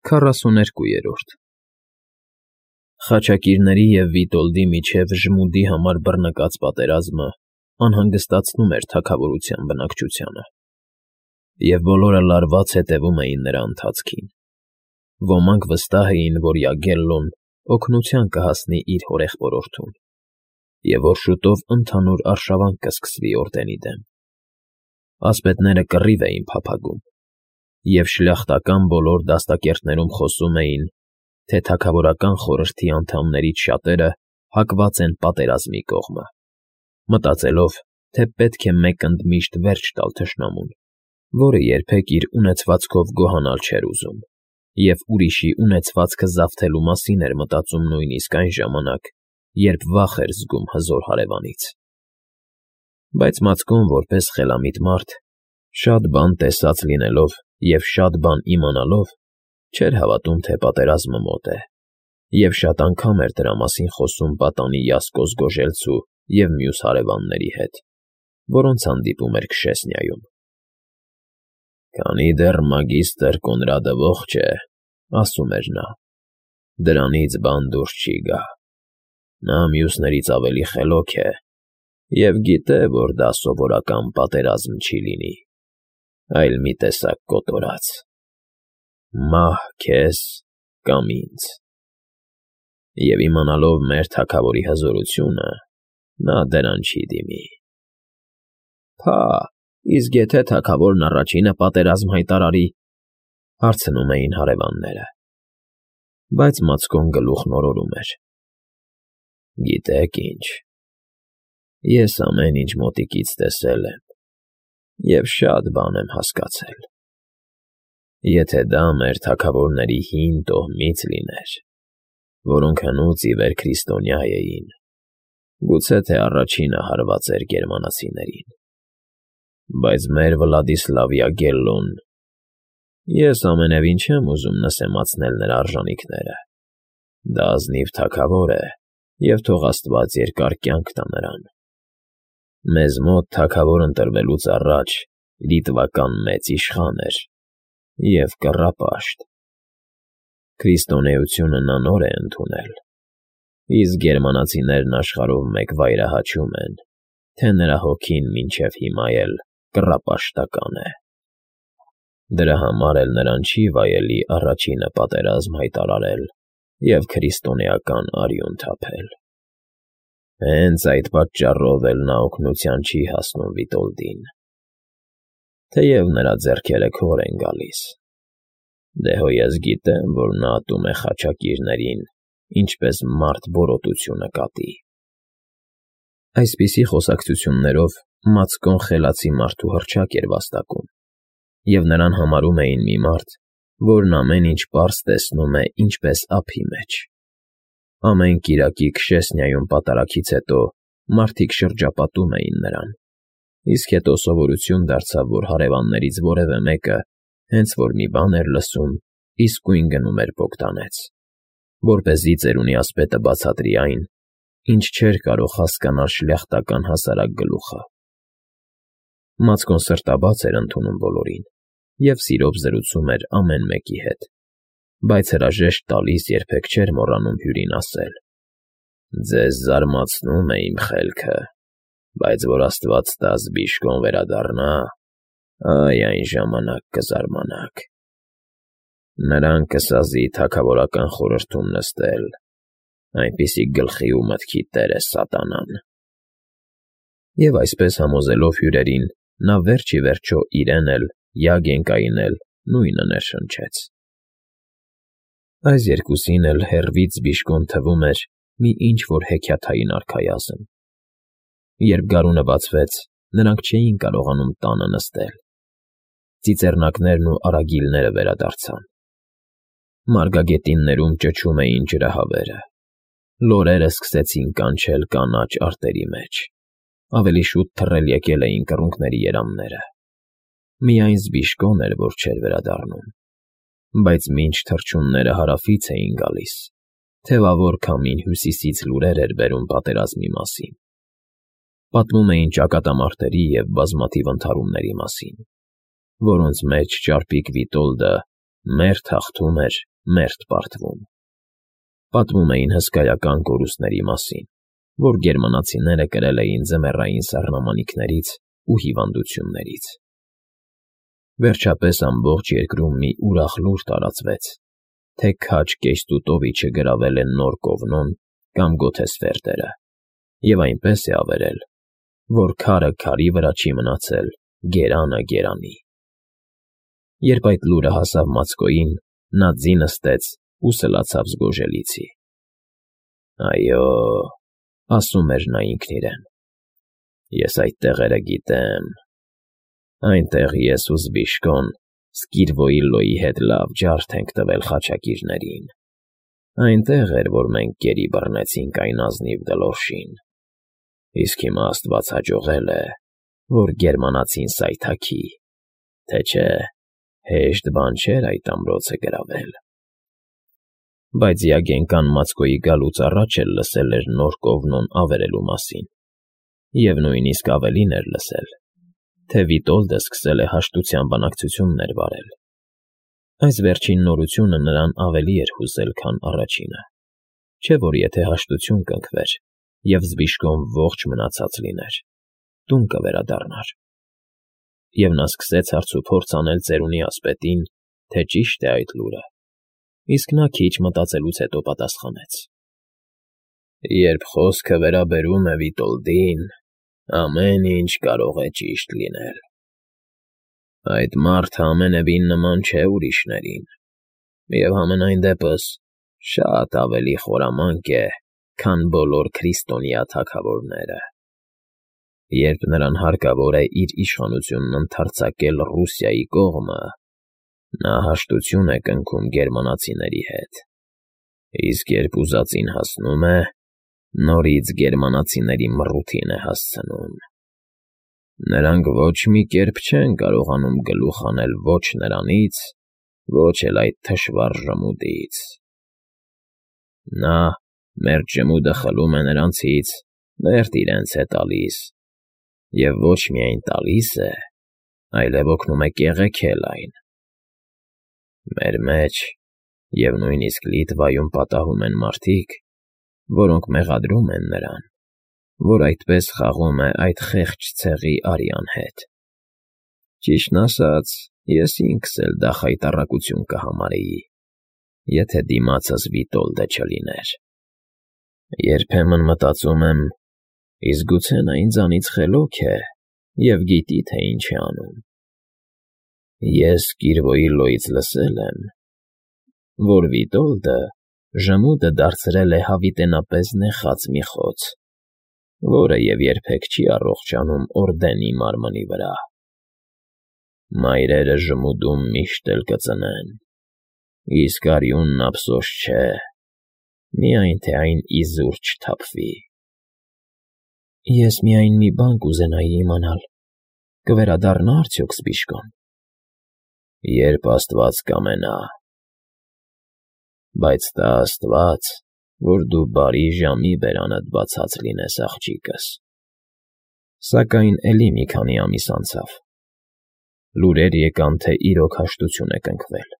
42 Խաչակիրների և Վիտոլդի միջև ժմուդի համար բռնկած պատերազմը անհանգստացնում էր թագավորության բնակչությանը, և բոլորը լարված հետևում էին նրա ընթացքին. ոմանք վստահ էին, որ Յագելլոն օգնության կհասնի իր հորեղբորորդուն, և որ շուտով ընդհանուր արշավանք կսկսվի օրդենի դեմ. ասպետները կռիվ էին փափագում, և շլախտական բոլոր դաստակերտներում խոսում էին, թե թագավորական խորհրդի անդամներից շատերը հակված են պատերազմի կողմը, մտածելով, թե պետք է մեկ ընդմիշտ վերջ տալ թշնամուն, որը երբեք իր ունեցվածքով գոհանալ չէր ուզում, և ուրիշի ունեցվածքը զավթելու մասին էր մտածում նույնիսկ այն ժամանակ, երբ վախ էր զգում հզոր հարևանից։ Բայց Մացկոն, որպես խելամիտ մարդ, շատ բան տեսած լինելով և շատ բան իմանալով, չէր հավատում, թե պատերազմը մոտ է, և շատ անգամ էր դրա մասին խոսում պատանի Յասկոս Գոժելցու և մյուս հարևանների հետ, որոնց հանդիպում էր Քշեսնիայում։ «Քանի դեռ մագիստր Կոնրադը ողջ է, — ասում էր նա, — դրանից բան դուրս չի գա. նա մյուսներից ավելի խելոք է և գիտե, որ դա սովորական պատերազմ չի լինի, այլ մի տեսակ կոտորած. մահ քեզ կամ ինձ։ Եվ իմանալով մեր թագավորի հզորությունը, նա դրան չի դիմի»։ «Փա, իսկ եթե թագավորն առաջինը պատերազմ հայտարարի,— հարցնում էին հարևանները։ Բայց Մացկոն գլուխն օրորում էր. «Գիտեք ինչ, ես ամեն ինչ մոտիկից տեսել եմ և շատ բան եմ հասկացել. եթե դա մեր թագավորների հին տոհմից լիներ, որոնք հնուց ի վեր քրիստոնյա էին, գուցե թե առաջինը հարված էր գերմանացիներին, բայց մեր Վլադիսլավ Յագելլոն… Ես ամենևին չեմ ուզում նսեմացնել նրա արժանիքները. դա ազնիվ թագավոր է, և թող Աստված երկար կյանք տա նրան… Մեզ մոտ թագավոր ընտրվելուց առաջ լիտվական մեծ իշխան էր և կռապաշտ. քրիստոնեությունը նա նոր է ընդունել, իսկ գերմանացիներն աշխարհով մեկ վայրահաչում են, թե նրա հոգին մինչև հիմա էլ կռապաշտական է… Դրա համար էլ նրան չի վայելի առաջինը պատերազմ հայտարարել և քրիստոնեական արյուն թափել… Հենց այդ պատճառով էլ նա օգնության չի հասնում Վիտոլդին, թեև նրա ձեռքերը քոր են գալիս… Դե հո ես գիտեմ, որ նա ատում է խաչակիրներին, ինչպես մարդ բորոտությունը կատի»։ Այսպիսի խոսակցություններով Մացկոն խելացի մարդու հռչակ էր վաստակում, և նրան համարում էին մի մարդ, որն ամեն ինչ պարզ տեսնում է ինչպես ափի մեջ։ Ամեն կիրակի Քշեսնիայում պատարագից հետո մարդիկ շրջապատում էին նրան, իսկ հետո սովորություն դարձավ, որ հարևաններից որևէ մեկը, հենց որ մի բան էր լսում, իսկույն գնում էր Բոգդանեց, որպեսզի ծերունի ասպետը բացատրի այն, ինչ չէր կարող հասկանալ շլյախտական հասարակ գլուխը։ Մացկոն սրտաբաց էր ընդունում բոլորին և սիրով զրուցում էր ամեն մեկի հետ, բայց հրաժեշտ տալիս երբեք չէր մոռանում հյուրին ասել. «Ձեզ զարմացնում է իմ խելքը, բայց որ Աստված տա զբիշկոն վերադառնա, այ այն ժամանակ կզարմանաք… Նրան կսազի թագավորական խորհրդում նստել, այնպիսի գլխի ու մտքի տեր է սատանան»։ Եվ այսպես համոզելով հյուրերին, նա վերջ ի վերջո իրեն էլ, Յագենկային էլ նույնը ներշնչեց։ Այս երկուսին էլ հեռվից զբիշկոն թվում էր մի ինչ֊որ հեքիաթային արքայազն։ Երբ գարունը բացվեց, նրանք չէին կարողանում տանը նստել։ Ծիծեռնակներն ու արագիլները վերադարձան։ Մարգագետիններում ճչում էին ջրահավերը։ Լորերը սկսեցին կանչել կանաչ արտերի մեջ, ավելի շուտ թռել եկել էին կռունկների երամները։ Միայն զբիշկոն էր, որ չէր վերադառնում, բայց մինչ թռչունները հարավից էին գալիս, թևավոր քամին հյուսիսից լուրեր էր բերում պատերազմի մասին։ Պատմում էին ճակատամարտերի և բազմաթիվ ընդհարումների մասին, որոնց մեջ ճարպիկ Վիտոլդը մերթ հաղթում էր մերթ պարտվում։ Պատմում էին հսկայական կորուստների մասին, որ գերմանացիները կրել էին ձմեռային սառնամանիքներից ու հիվանդություններից։ Վերջապես ամբողջ երկրում մի ուրախ լուր տարածվեց, թե քաջ Կեյստուտովիչը գրավել են Նոր Կովնոն կամ Գոթեսֆերդերը, և այնպես է ավերել, որ քարը քարի վրա չի մնացել, գերանը գերանի։ Երբ այդ լուրը հասավ Մացկոյին, նա ձի նստեց ու սլացավ զգոժելիցի։ «Այո,֊ ասում էր նա ինքն իրեն,֊ ես այդ տեղերը գիտեմ։ Այնտեղ ես ու Զբիշկոն Սկիրվոիլլոյի հետ լավ ջարդ ենք տվել խաչակիրներին։ Այնտեղ էր, որ մենք գերի բռնեցինք այն ազնիվ գլորշին։ Իսկ հիմա աստված հաջողել է, որ գերմանացին սայթաքի, թե չէ հեշտ բան չէր այդ ամրոցը գրավել»։ Բայց Յագենկան Մացկոյի գալուց առաջ էլ լսել էր Նոր Կովնոն ավերելու մասին, և նույնիսկ ավելին էր լսել, թե Վիտոլդը սկսել է հաշտության բանակցություններ վարել։ Այս վերջին նորությունը նրան ավելի էր հուզել, քան առաջինը, չէ՞ որ եթե հաշտություն կնքվեր, և Զբիշկոն ողջ մնացած լիներ, տուն կվերադառնար։ Եվ նա սկսեց հարցուփորձ անել ծերունի ասպետին, թե ճիշտ է այդ լուրը, իսկ նա քիչ մտածելուց հետո պատասխանեց. «Երբ խոսքը վերաբերում է Վիտոլդին, ամեն ինչ կարող է ճիշտ լինել։ Այդ մարդը ամենևին նման չէ ուրիշներին, և համենայն դեպս շատ ավելի խորամանկ է, քան բոլոր քրիստոնյա թագավորները։ Երբ նրան հարկավոր է իր իշխանությունն ընդարձակել Ռուսիայի կողմը, նա հաշտություն է կնքում գերմանացիների հետ, իսկ երբ ուզածին հասնում է, նորից գերմանացիների մռութին է հասցնում։ Նրանք ոչ մի կերպ չեն կարողանում գլուխ հանել ոչ նրանից, ոչ էլ այդ թշվառ ժմուդից։ Նա մերթ ժմուդը խլում է նրանցից, մերթ իրենց է տալիս, և ոչ միայն տալիս է, այլև օգնում է կեղեքել այն։ Մեր մեջ և նույնիսկ Լիտվայում պատահում են մարդիկ, որոնք մեղադրում են նրան, որ այդպես խաղում է այդ խեղճ ցեղի արյան հետ։ Ճիշտն ասած, ես ինքս էլ դա խայտառակություն կհամարեի, եթե դիմացս Վիտոլդը չլիներ։ Երբեմն մտածում եմ, իսկ գուցե նա ինձանից խելոք է և գիտի, թե ինչ է անում։ Ես Սկիրվոիլլոյից լսել եմ, որ Վիտոլդը ժմուդը դարձրել է հավիտենապես նեխած մի խոց, որը և երբեք չի առողջանում Օրդենի մարմնի վրա։ Մայրերը ժմուդում միշտ էլ կծնեն, իսկ արյունն ափսոս չէ, միայն թե այն իզուր չթափվի։ Ես միայն մի բան կուզենայի իմանալ. կվերադառնա՞ արդյոք Զբիշկոն։ Երբ աստված կամենա։ Բայց տա աստված, որ դու բարի ժամի բերանդ բացած լինես, աղջիկս։ Սակայն էլի մի քանի ամիս անցավ։ Լուրեր եկան, թե իրոք հաշտություն է կնքվել։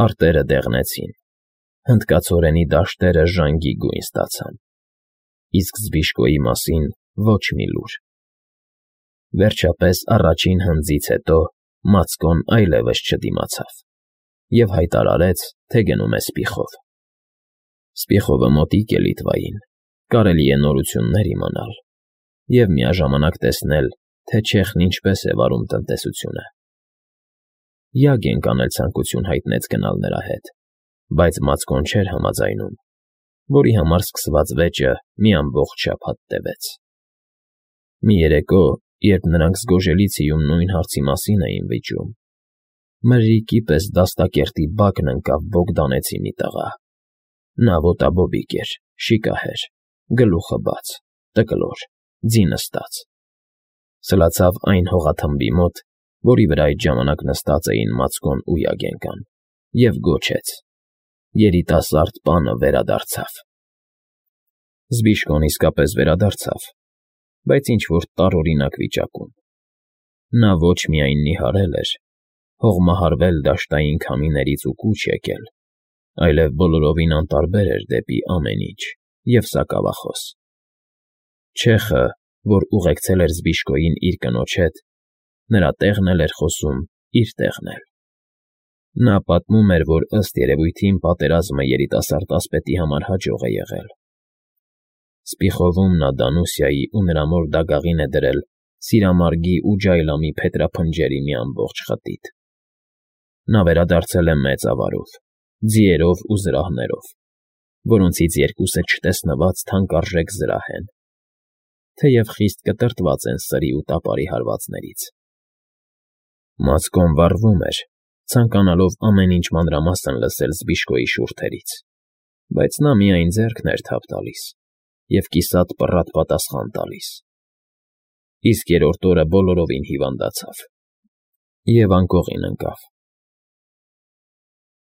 Արտերը դեղնեցին, հնդկացորենի դաշտերը ժանգի գույն ստացան, իսկ Զբիշկոյի մասին ոչ մի լուր։ Վերջապես առաջին հնձից հետո Մացկոն այլևս չդիմացավ և հայտարարեց, թե գնում է Սպիխով։ Սպիխովը մոտիկ է Լիտվային, կարելի է նորություններ իմանալ և միաժամանակ տեսնել, թե Չեխն ինչպես է վարում տնտեսությունը։ Յագենկան էլ ցանկություն հայտնեց գնալ նրա հետ, բայց Մացկոն չէր համաձայնում, որի համար սկսված վեճը մի ամբողջ շաբաթ տևեց։ Մի երեկո, երբ նրանք Զգոժելիցիում նույն հարցի մասին էին վիճում, մրրիկի պես դաստակերտի բակն ընկավ Բոգդանեցի մի տղա։ Նա ոտաբոբիկ էր, շիկահեր, գլուխը բաց, տկլոր, ձի նստած։ Սլացավ այն հողաթմբի մոտ, որի վրա այդ ժամանակ նստած էին Մացկոն ու Յագենկան, և գոչեց. երիտասարդ պանը վերադարձավ։ Զբիշկոն իսկապես վերադարձավ, բայց ինչ֊որ տարօրինակ վիճակում։ Նա ոչ միայն նիհարել էր, հողմահարվել դաշտային քամիներից ու կուչ եկել, այլև բոլորովին անտարբեր էր դեպի ամեն ինչ և սակավախոս։ Չեխը, որ ուղեկցել էր Զբիշկոյին իր կնոջ հետ, նրա տեղն էլ էր խոսում իր տեղն էլ։ Նա պատմում էր, որ ըստ երևույթին պատերազմը երիտասարդ ասպետի համար հաջող է եղել։ Սպիխովում նա Դանուսիայի ու նրա մոր դագաղին է դրել սիրամարգի ու ջայլամի փետրափնջերի մի ամբողջ խտիթ։ Նա վերադարձել է մեծ ավարով, ձիերով ու զրահներով, որոնցից երկուսը չտեսնված թանկարժեք զրահ են, թեև խիստ կտրտված են սրի ու տապարի հարվածներից։ Մացկոն վառվում էր, ցանկանալով ամեն ինչ մանրամասն լսել Զբիշկոյի շուրթերից, բայց նա միայն ձեռքն էր թափ տալիս և կիսատ պռատ պատասխան տալիս։ Իսկ երրորդ օրը բոլորովին հիվանդացավ և անկողին ընկավ։